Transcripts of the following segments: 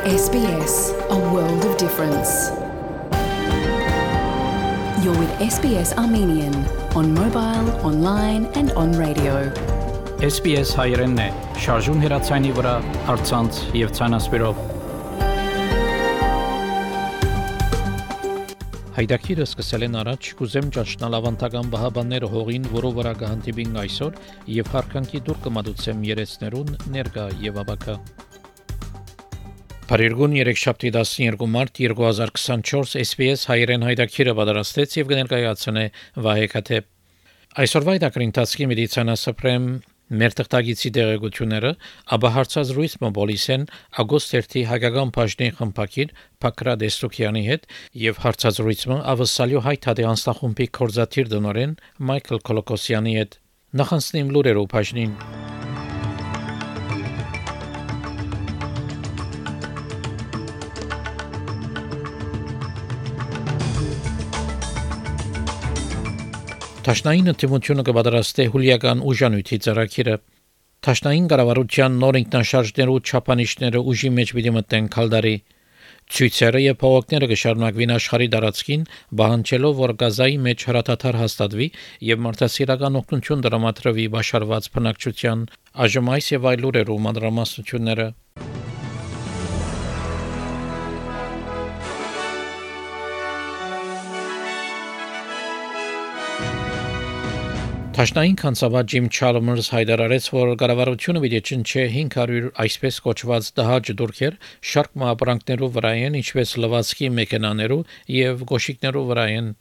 SBS, a world of difference. You're with SBS Armenian on mobile, online and on radio. SBS հայերենն է, շարժուն հեռացայինի վրա, առցանց եւ ցանասպիրով։ Հայդակիրը սկսել են առաջ, կուզեմ ճաշնալ ավանդական բահաբանները հողին, որով վրա կհանդիպին այսօր եւ հարկանքի դուր կմատուցեմ երեցներուն ներկա եւ աբակա։ Փարիգուն 3/12 մարտ 2024 SBS հայերեն հայդակիրը պատրաստեց եւ կներկայացնե Վահե Քաթեփ։ Այսօրվա հայդակրի ընթացքի մեդիցինասպրեմ մեր տղտագիցի դեղեցությունները, ապա հարցազրույց մոբիլիսեն ագոստերթի հայկական բաժնի խմբակիր Փակրատ Էստոկյանի հետ եւ հարցազրույցը ավսալյո հայ թադի անստախումբի կորզաթիր դոնորեն Մայքլ Կոլոկոսյանի հետ։ Նախանցնիմ լուրերով բաժնին։ Տաշնային ընդդիմությունը կպատրաստի հուլիական ուժանույթի ծրագիրը։ Տաշնային կառավարության նոր ինքնաշարժներու չափանիշները ուժի մեջ պիտի մտնեն քալդարի։ Ցույցերը եւ փողոցները կշարունակվին աշխարհի տարածքին, բանջելով որ Գազայի մեջ հրաթաթար հաստատվի եւ մարդասիրական օգնություն դրամատրվի բաշարված բնակչության, այժմ այս եւ այլ լուրերու մանրամասնությունները։ Տաշնային կանցավար Ջիմ Չալմերս հայտարարեց, որ կառավարությունը պիտի չնչի 500 այսպես կոչված դահաճ դուրքեր շարք մապրանքներով վրայեն, ինչպես լվացքի մեքենաներով եւ գոշիկներով վրայեն։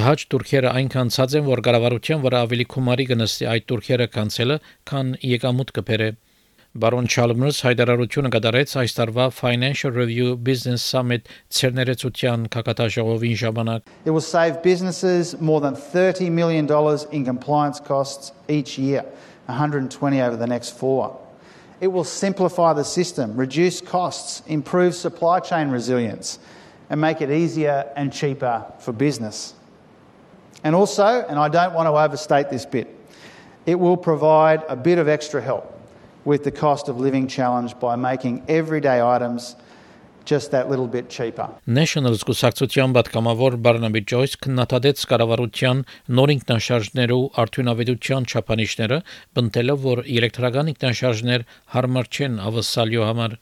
Դահաճ դուրքերը այնքան ցած են, որ կառավարության վրա ավելի գումարի կնստի այդ դուրքերը կանցելը, քան եկամուտ կբերե։ Բարոն Չալմերս հայտարարությունը կատարեց այս տարվա Financial Review Business Summit ցերներեցության կակատաժողովին ժամանակ։ It will save businesses more than $30 million in compliance costs each year, 120 over the next 4. It will simplify the system, reduce costs, improve supply chain resilience, and make it easier and cheaper for business. And also, and I don't want to overstate this bit, it will provide a bit of extra help with the cost of living challenge by making everyday items just that little bit cheaper. National Զգուշացության պատգամավոր Բարնաբի Ջոյս քննադատեց կառավարության նոր ինքնաշարժներու արդյունավետության չափանիշները, բնտելով որ էլեկտրական ինքնաշարժներ հարմար չեն ավսալյո համար։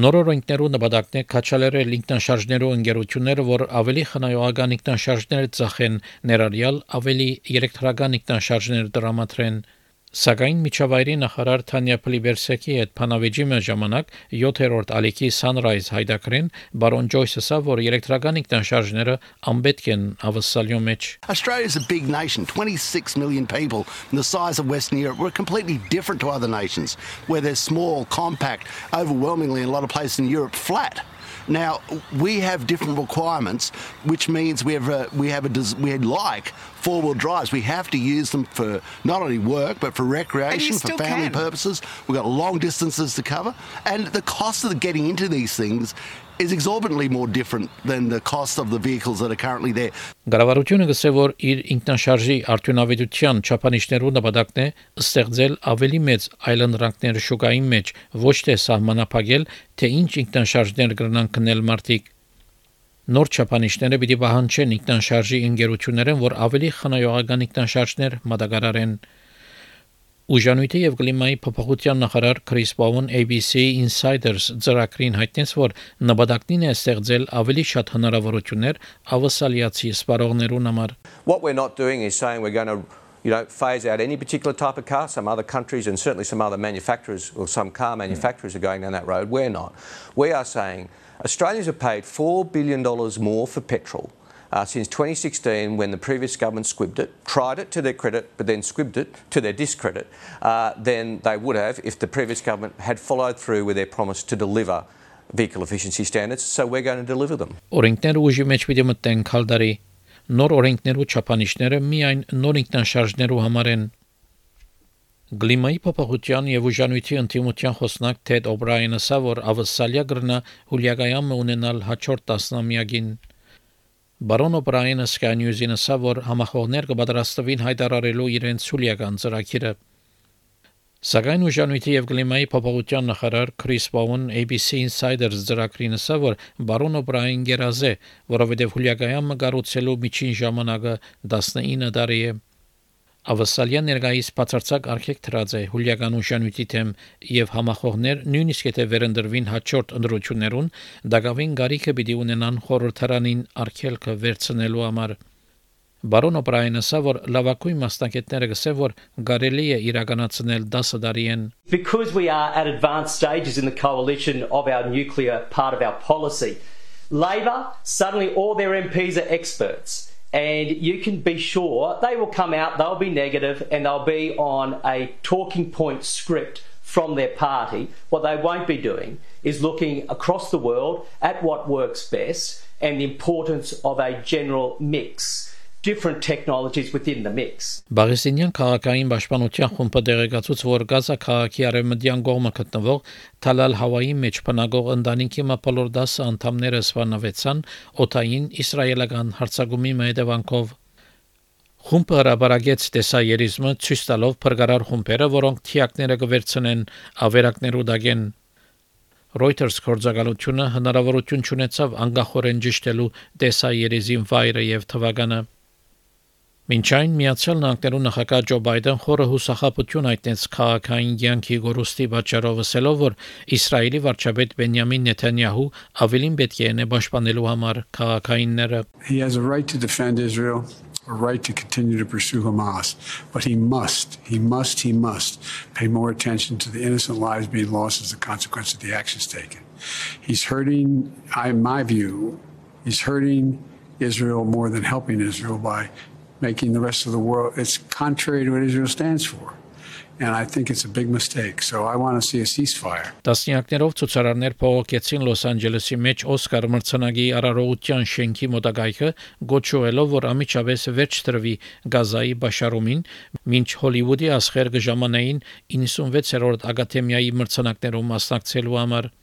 Նոր օրենքներու նպատակն է քաչալերել ինքնաշարժներու ընկերությունները, որ ավելի խնայողական ինքնաշարժներ ծախեն, ներառյալ ավելի էլեկտրական ինքնաշարժներ դրամատրեն։ Սակայն միջավայրի նախարար Թանյա Պլիբերսեկի հետ փանավեճի ժամանակ 7-րդ ալիքի Sunrise հայդակրին բարոն Ջոյսը ասա, որ էլեկտրական ինքնաշարժները անպետք են ավսալյո մեջ։ Australia is a big nation, 26 million people, and the size of Western Europe. We're completely different to other nations, where they're small, compact, overwhelmingly in a lot of places in Europe, flat. Now we have different requirements, which means we like four-wheel drives. We have to use them for not only work but for recreation, for family purposes. We've got long distances to cover, and the cost of getting into these things is exorbitantly more different than the cost of the vehicles that are currently there. Կառավարությունը գսե որ իր ինքնաշարժի արդյունավետության չափանիշներու նպատակն է ստեղծել ավելի մեծ այլընտրանքներ շուկային մեջ, ոչ թե սահմանափակել, թե ինչ ինքնաշարժներ կրնան քնել մարդիկ։ Նոր չափանիշները պիտի պահանջեն ինքնաշարժի ընկերություններին, որ ավելի խնայողական ինքնաշարժներ մատակարարեն։ Ուժանույթի եւ կլիմայի փոփոխության նախարար Քրիս Բաուն ABC Insiders ծրագրին հայտնեց, որ նպատակն է ստեղծել ավելի շատ հնարավորություններ ավսալիացի սպառողներուն համար։ What we're not doing is saying we're going to phase out any particular type of car. Some other countries and certainly some other manufacturers or some car manufacturers are going down that road. We're not. We are saying Australians have paid $4 billion more for petrol since 2016 when the previous government squibbed it, tried it to their credit, but then squibbed it to their discredit, than they would have if the previous government had followed through with their promise to deliver vehicle efficiency standards. So we're going to deliver them. Օրենքները ուժի մեջ պիտի մտնեն քալդարի։ Նոր օրենքներու չափանիշները միայն նոր ինքնաշարժներու համար են։ Գլիմայի փոփոխության եւ ուժանույթի ընդդիմության խոսնակ Թեդ Օբրայենը ասա, որ ավսալիա գրնա հուլիագայամը ունենալ հաջորդ տասնամյակին։ Բարոն Օբրայենը Sky News-ին ասա, որ համախոհներ կպատրաստվին հայտարարելու իրենց սուլիական ծրագիրը։ Սակայն ուժանույթի եւ կլիմայի փոփոխության նախարար Քրիս Բաուն ABC Insiders ծրագրին ասավ, որ բարոն Օբրաին գերազե, որովհետեւ հուլիագայանը կառուցելու միջին ժամանակը 19 տարի է։ Ավասալյան ներկայիս բացարձակ արգելք դրած է հուլիական ուժանույթի թեմ եւ համախոհներ նույնիսկ եթե վերընտրվին հաջորդ ընտրություններուն դակավին գարիքը պիտի ունենան խորհրդարանին արգելքը վերցնելու համար։ Բարոն Օբրայենը ասավ, որ լավագույն մասնակիցները գսե, որ կարելի է իրականացնել 10 տարիեն։ Because we are at advanced stages in the coalition of our nuclear part of our policy, Labor, suddenly all their MPs are experts. And you can be sure they will come out, they'll be negative, and they'll be on a talking point script from their party. What they won't be doing is looking across the world at what works best and the importance of a general mix. Different technologies within the mix. Բաղեսինյան քաղաքային պաշտպանության խումբը դեղեկացուց, որ Գազա քաղաքի արևմտյան կողմը գտնվող Թալալ Հավայի մեջ բնակող ընտանիքի մապալոր 10 անդամները սպանվեցան օդային իսրայելական հարձակումի հետևանքով։ Խումբը հրապարակեց տեսաերիզմը ցույց տալով փրկարար խումբերը, որոնք թիակները կվերցնեն ավերակներու դագեն։ Reuters գործակալությունը հնարավորություն ունեցավ անկախորեն ճշտելու տեսաերիզին վայրը եւ թվականը։ Մինչ այն Միացյալ Նահանգներու նախագահ Ջո Բայդեն խորը հուսախաբություն հայտնեց քաղաքային յանքի գորուստի պատճառով ասելով, որ Իսրայելի վարչապետ Բենյամին Նեթանյահու ավելին պետք է պաշտպանելու համար քաղաքայինները։ He has a right to defend Israel, a right to continue to pursue Hamas, but he must pay more attention to the innocent lives being lost as a consequence of the actions taken. He's hurting, in my view, he's hurting Israel more than helping Israel by making the rest of the world, it's contrary to what Israel stands for. And I think it's a big mistake. So I want to see a ceasefire. Տասնյակներով ցուցարարներ փողոքեցին Լոս Անջելեսի մեջ Օսկար մրցանակի արարողության շենքի մոտակայքը, գոչուելով, որ ամիջապես վերջ տրվի Գազայի բաշարումին, մինչ Հոլիվուդի աշխարհ կժամանային 96-րդ ակադեմիայի մրցանակներում մասնակցելու համար։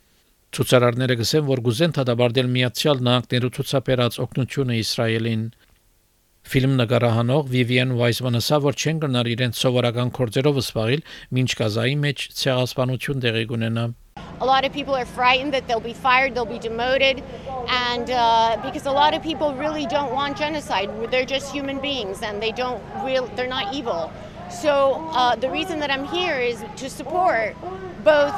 Ցուցարարները գսեն, որ գուզեն դադարել Միացյալ Նահանգներու ցուցաբերած օգնությունը Իսրայելին։ Ֆիլմ նկարահանող Vivian Weissman-ը ասավ, որ չեն գնար իրենց սովորական գործերով զբաղել, մինչ Գազայի մեջ ցեղասպանություն տեղի կունենա։ A lot of people are frightened that they'll be fired, they'll be demoted, and because a lot of people really don't want genocide. They're just human beings, and they're not evil. So the reason that I'm here is to support both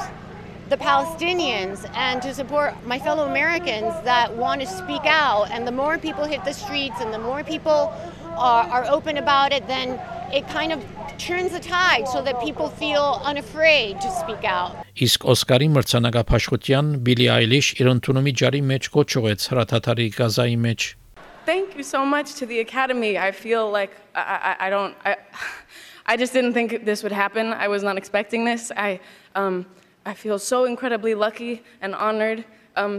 the Palestinians and to support my fellow Americans that want to speak out. And the more people hit the streets and the more people are open about it, then it kind of turns the tide so that people feel unafraid to speak out. Իսկ Օսկարի մրցանակապաշխության Բիլի Այլիշ իր ընդունումի ջարի մեջ կոչուեց հրաթաթարի Գազայի մեջ։ Thank you so much to the Academy. I feel like I just didn't think this would happen. I was not expecting this. I feel so incredibly lucky and honored.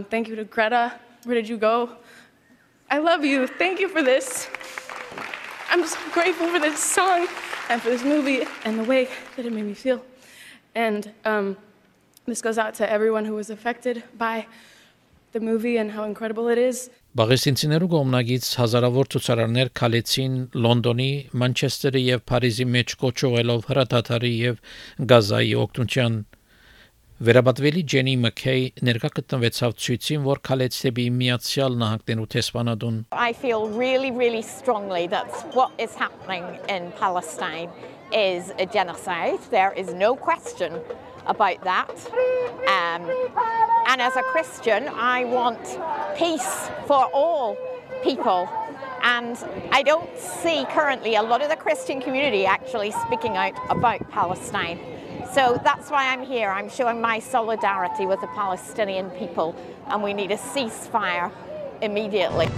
Thank you to Greta. Where did you go? I love you. Thank you for this. I'm so grateful for this song and for this movie and the way that it made me feel. And this goes out to everyone who was affected by the movie and how incredible it is. Բաղեսինցիներու կողմնագից հազարավոր ցուցարարներ քալեցին Լոնդոնի, Մանչեսթերի եւ Փարիզի մեջ կոչողելով հրաթաթարի եւ Գազայի օգնության։ Վերաբատվելի Ջենի Մաքեյ ներկա գտնվեցավ ցույցին, որ քալեց դեպի Միացյալ Նահանգներու տեսփանադուն։ I feel really strongly that what is happening in Palestine is a genocide. There is no question about that. And as a Christian, I want peace for all people. And I don't see currently a lot of the Christian community actually speaking out about Palestine. So that's why I'm here. I'm showing my solidarity with the Palestinian people, and we need a ceasefire immediately.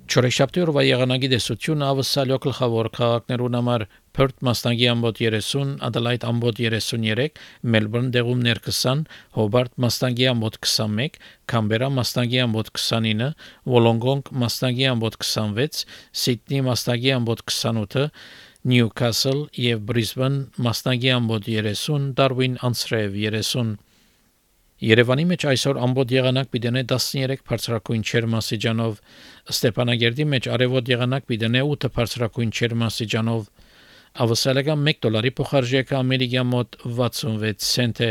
Չորեքշաբթի օրվա եղանակի տեսությունը ավսալյո գլխավոր քաղաքներուն համար Perth մասնագի ամբոտ 30, Adelaide ամբոտ 33, Melbourne դեղումներ 20, Hobart մասնագի ամբոտ 21, Canberra մասնագի ամբոտ 29, Wollongong մասնագի ամբոտ 26, Sydney մասնագի ամբոտ 28, Newcastle եւ Brisbane մասնագի ամբոտ 30, Darwin անցրև 30 Երևանի մեջ այսօր ամբողջ եղանակ պիտենե 13 բարձրակույն ջերմաստիճանով, Ստեփանագերդի մեջ արևոտ եղանակ պիտենե 8 բարձրակույն ջերմաստիճանով, ավսալական $1 փոխարժեքը ամերիկյան մոտ 66 سنت է,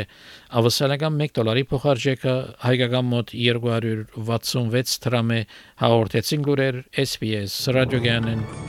ավսալական $1 փոխարժեքը հայկական մոտ 266 դրամ է, հաղորդեցին լուրեր SPS ռադիոգյանեն